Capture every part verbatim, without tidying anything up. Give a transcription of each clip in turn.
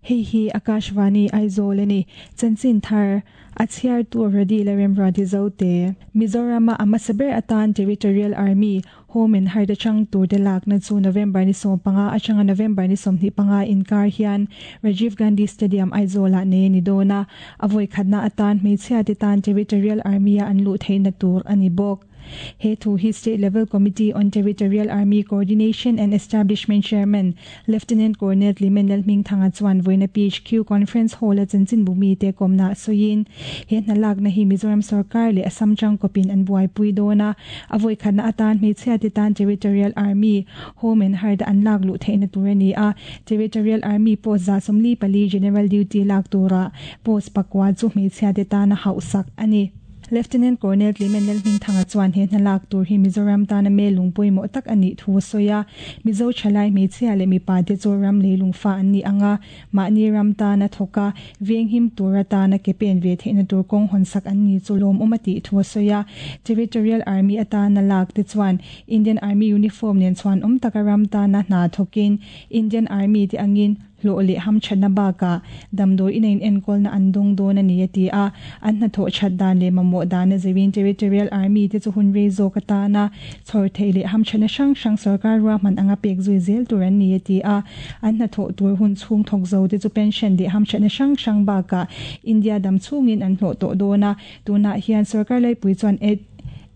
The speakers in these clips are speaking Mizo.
Hei hi Akashvani Aizawl ani chanchin thar a chhiar tu radi la remra ti zote Mizoram a hmasa ber atan Territorial Army Home and Harda chang tur te lak na chu November ni sawm panga atanga November ni sawmhnih panga inkar hian Rajiv Gandhi Stadium Aizawl ah nei ani dawn a a vawi khatna atan hmeichhia te tan Territorial Army a an luh theihna tur ani bawk. He thu hi State Level Committee on Territorial Army Coordination and Establishment Chairman Lieutenant Colonel Limen Lalhmingthanga chuan vawiina P H Q Conference Hall a chanchin bumi te kawmna sawiin he hna lakna hi Mizoram sarkar leh Assam tangkawpin an buaipui dawn a a vawi khatna atan hmeichhia te tan Territorial Army Home and Hard an lak luh theihna tur ani a Territorial Army post za sawmli pali General Duty lak tura post pakua chu hmeichhia te tana hauhsak ani. Lieutenant Colonel Clement Lalhmingthanga chuan he hna lak tur hi Mizoram tana me lungpui maw tak ani thu sawi a Mizo thalai hmeichhia leh mipa te chu ram leilung fa an ni anga mahni ram tana thawka venghim tur atana ke pen ve theihna tur kawng hawn sak an ni chu lawm awm a tih thu sawi a Territorial Army atana lak te chuan Indian Army uniform nen chuan awm taka ram tana hna thawkin Indian Army te angin hlawh leh ham thatna baka damdawi ina in enkawl na an dawng dawn ani a ti a an hna thawh that dan leh mamawh dan a zirin Territorial Army te chu hun rei zawk atana chhawr theih leh ham thatna hrang hrang sarkar ruahman anga pek zui zel tur an ni a ti a an hna thawh tur hun chhung thawk zo te chu pension leh ham thatna hrang hrang baka India dam chhungin an hlawh tawh dawn a tunah hian sarkar laipui chuan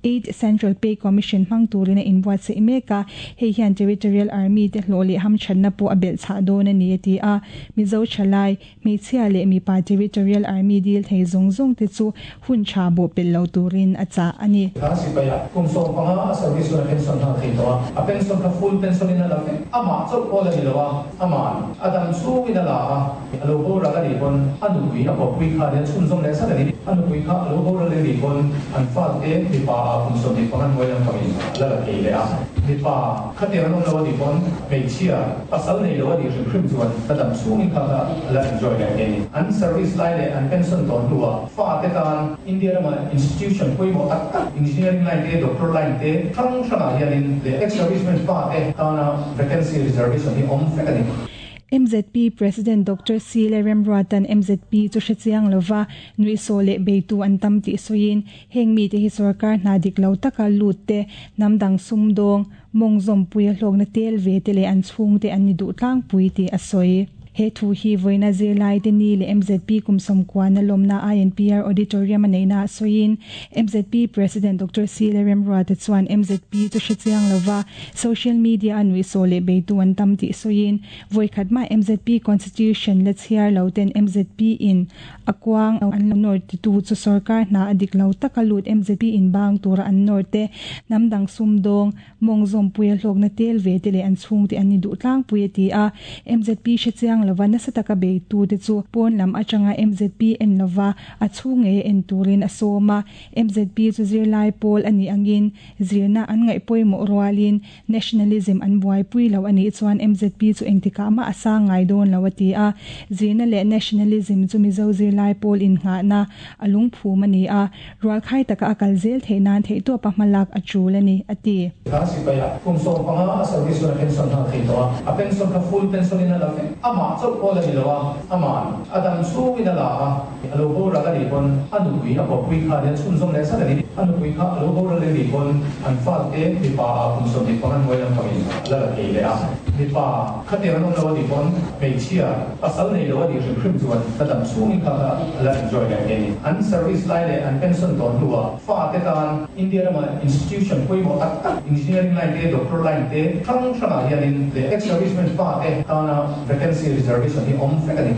Eight Central Pay Commission hmang turin a inbuatsaih mek a hei hian Territorial Army te hlawh leh ham thatna pawh a belh chhah dawn ani a ti a Mizo thalai hmeichhia leh mipa Territorial Army dil thei zawng zawng te chu hun tha bawh pel lo turin a chah ani. Kha sipaia kum sawm panga a service hun a pension nghal thei tawh a a pension kha full pension in a la vek amah chauh pawh la ni lo a aman a dam chhungin a la a a lo boral a nih pawn a nupui a kawppui kha nen chhunzawm leh zat a ni a nupui kha a lo boral a nih pawn an fate mipa a kum sawmhnih panga hnuai lampangin a la la thei leh a mipa khatiang an awm lo a nih pawn hmeichhia pasal nei lo a nih hrim hrim chuan a dam chhungin kha kha a la enjoy leh thei a ni. An service lai leh an pension tawh hnuah fate tan India rama institution pawimawh tak tak engineering line te doctor line te hrang hrangah hianin leh ex serviceman fate tana vacancy reservation hi awm vek a ni. M Z P President Doctor C le Remruatan M Z P chu hrechiang lova nui saw leh beitu an tam tih sawiin heng mi te hi sarkar hna dik lo taka lut te hnamdang sumdawng mawng zawmpui a hlawkna tel ve te leh an chhung te an ni duh tlangpui tih a sawi. He thu hi vawiina zirlai te ni leh M Z P kum sawmkuan a lawmna I N P R Auditorium a neihna a sawiin M Z P President Doctor C le Remruata chuan M Z P chu hrechiang lova social media a nui saw leh beitu an tam tih sawiin vawi khat ma M Z P Constitution la chhiar lo ten M Z P in a kuang an lo nawr ti tu chu sarkar hna a dik lo taka lut M Z P in bang tura an nawr te hnamdang sumdawng mawng zawmpui a hlawkna tel ve te leh an chhung te an ni duh tlangpui a ti a M Z P hrechiang lova nasa taka beitu te chu pawn lam atanga M Z P en lova a chhung nge en turin a sawm a M Z P chu zirlai pawl ani angin zirna an ngaih pawimawh rualin nationalism an buaipui lo ani chuan M Z P chu engtikah mah a sang ngai dawn lo a ti a zirna leh nationalism chu Mizo zirlai pawl in nghahna a lungphum ani a rualkhai taka a kal zel theih nan theih tawp a hmalak a tul ani a ti. Kha sipaia kum sawm panga a service hun a pension nghal thei tawh a a pension kha full pension in a la vek amah chauh pawh la ni lo a aman a dam chhungin a la a a lo boral a nih pawn a nupui a kawppui kha nen chhunzawm leh zat a ni a nupui kha a lo boral a nih pawn an fate mipa a kum sawmhnih panga hnuai lampangin a la la thei leh a mipa khatiang an awm lo a nih pawn hmeichhia pasal nei lo a nih hrim hrim chuan a dam chhungin kha kha a la enjoy leh thei a ni. An service lai leh an pension tawh hnuah fate tan India rama institution pawimawh tak tak engineering line te doctor line te hrang hrangah hianin leh ex serviceman fate tana vacancy reservation hi awm vek a ni.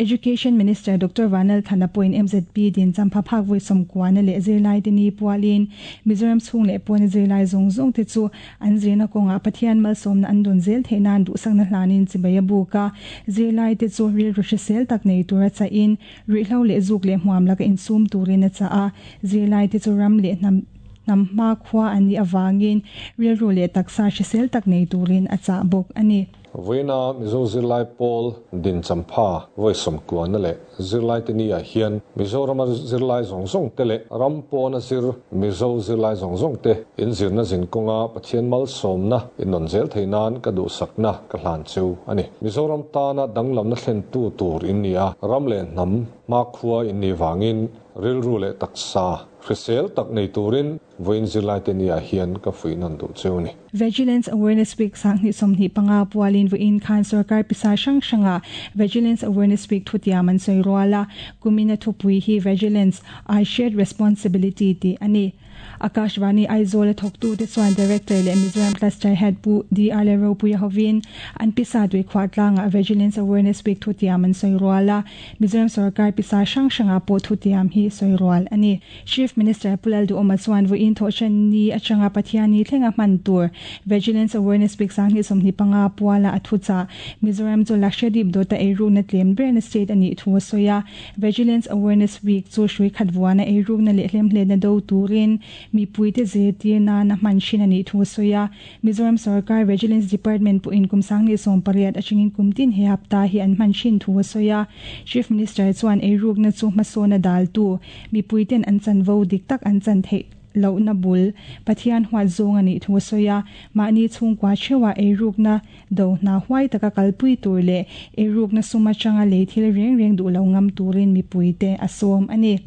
Education Minister Doctor Vanal Thana pawhin M Z P din champha phak vawi sawmkuana leh zirlai te ni pualin Mizoram chhung leh pawn zirlai zawng zawng te chu an zirna kawngah Pathian malsawmna an dawn zel theih nan duhsakna hlanin chibai a buk a zirlai te chu rilru hrisel tak nei tur a chahin ruihhlo leh zuk leh hmuam laka insum turin a chah a zirlai te chu ram leh hnam hnam hma khua an nih awangin rilru leh taksa hrisel tak nei turin a chah bawk ani. Voina Mizo Zirlai Pawl din champha voi somkua na le Zirlai te ni a hian Mizoram Zirlai zong zong te le ram pawna zir Mizo Zirlai zong zong te in zirna zin kawnga Pathian mal sawmna in nawn zel thei nan ka duh sakna ka hlan cheu ani. Mizoram tana danglamna thlen tu tur in ni a ram le hnam ma khua in ni wangin rilru le taksa hrisel tak nei turin voin zirlai te ni a hian ka fui nan du cheu ni. Vigilance Awareness Week sang ni somni panga pualin voin khan sarkar pisa sang sanga Vigilance Awareness Week thutiam an soi roala kumina thupui hi Vigilance I shared responsibility ti ani. Akashvani Aizawl thoktu te chuan Director le Mizoram Cluster Head Pu D R le Ropuia hovin an pisa dui khwatlanga Vigilance Awareness Week thutiam an soi roala Mizoram sarkar pisa sang sanga po thutiam hi soi roal ani. Chief Minister Pulal du oma chuan voin thochan ni achanga Pathiani thlenga man tur Vigilance Awareness Week sang ni somni panga puala athucha Mizoram chu Lakshadweep dota eiru na tlem ber state ani thu soya Vigilance Awareness Week chu shui khatwana eiru na le hlem hle na do turin mi puite zetir na na man shin ani thu soya Mizoram Sarkar Vigilance Department pu in kumsang ni som pariat achingin kumtin he hapta hi an man shin thu soya Chief Minister chuan eiruk na chu masona dal tu mi puiten an chan vo dik tak an chan the lo na bul Pathian hwa zong ani thu soya mani chungkwa chewa eiruk na do na huai taka kalpui tur le eiruk na suma changa le thil reng reng du lo ngam turin mi puite asom ani.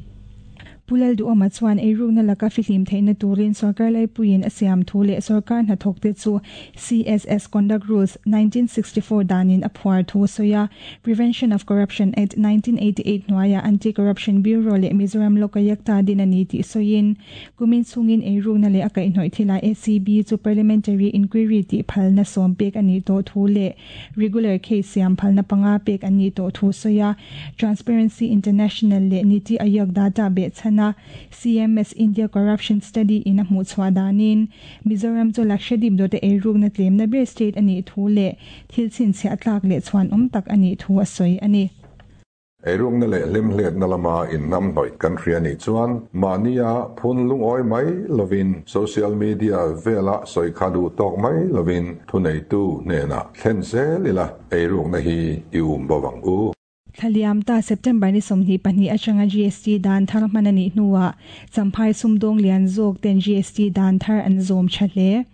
Pulal du oma chuan eiruk na laka fihlim theina turin sarkar lai puin asiam thu le sarkar na thokte chu C S S Conduct Rules nineteen sixty-four danin aphuar thu soya Prevention of Corruption Act nineteen eighty-eight noaya Anti-Corruption Bureau le Mizoram Lokayakta dinani ti soyin kumin chungin eiruk na le akai hnoi thila A C B chu parliamentary inquiry ti phalna som pek ani to thu le regular case siam phalna panga pek ani to thu soya Transparency International le Niti Aayog data be chana C M S India Corruption Study in a muchwa danin Mizoram chu Lakshadweep dote eiruk na tlem na ber state ani thu le thil chin chhe atlak le chuan om tak ani thu asoi ani. Eiruk na le hlim hlet na lama in nam noi country ani chuan mania phun lung oi mai lovin social media vela soi khadu tok mai lovin thunei tu ne na thlen se lila eiruk na hi ium bawang u. Thaliam ta September ni somni pani achanga G S T dan thar manani nuwa champhai sumdong lian zok ten G S T dan thar an zom chale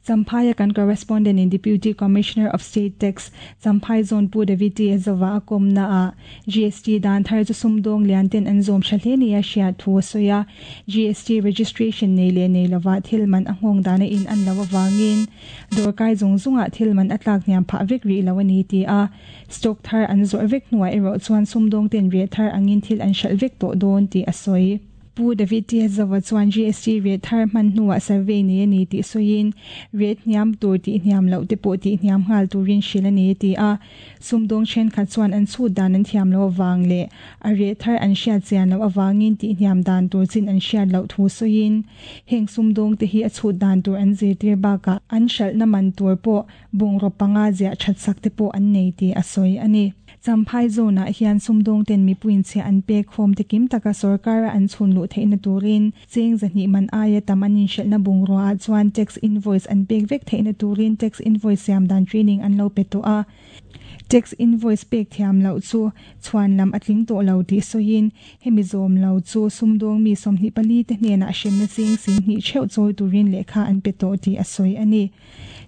Champhai kan correspondent in Deputy Commissioner of State Tax Champhai Zone Pu David T Zawa akom na a G S T dan thar chu sumdong lian ten an zom chale ni a hria thu soya G S T registration nei le nei lawa thilman ahong dana in an lawa wangin dorkai zong zunga thilman atlak niam pha vek ri lawani ti a stock thar an zor vek nuwa ero chuan sumdong ten re thar angin thil an shal vek to don ti asoi. Pu David T Zawa chuan G S T rate thar man nuwa survey ni ani ti soin rate niam tur ti niam lo te po ti niam hal turin shil ani ti a sumdong chen khat chuan an chu dan an thiam lo wang le a rate thar an hria chian lo awangin ti niam dan tur chin an hria lo thu soin heng sumdong te hi a chu dan tur an zir tir ba ka an shal na man tur po bung ro panga zia that sak te po an nei ti a soi ani. Champhai zone a hian sumdong ten mi puin che an pek khom te kim taka sarkar an chun lu theina turin cheng zani man aya tamanin shelna bungro a chuan tax invoice an pek vek theina turin tax invoice siam dan training an lo pe to a tax invoice pek thiam lo chu chuan lam atling to lo ti soin hemi zom lo chu sumdong mi somni pali te hne na hrim na cheng sing ni cheu choi turin lekha an pe to ti asoi ani.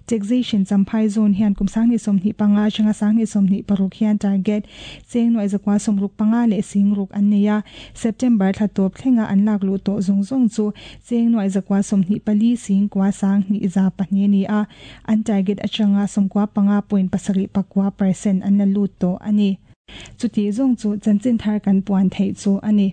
Taxation Champhai zone hian kumsang ni somni panga changa sang ni somni paruk hian target cheng noi zakwa somruk panga le singruk an neya September thlatop thlenga an lak lu to zong zong chu cheng noi zakwa somni pali sing kwa sang ni za pahni ni a an target achanga somkwa panga point pasari pakwa percent an la lu to ani chuti zong chu chanchin thar kan puan thei chu ani.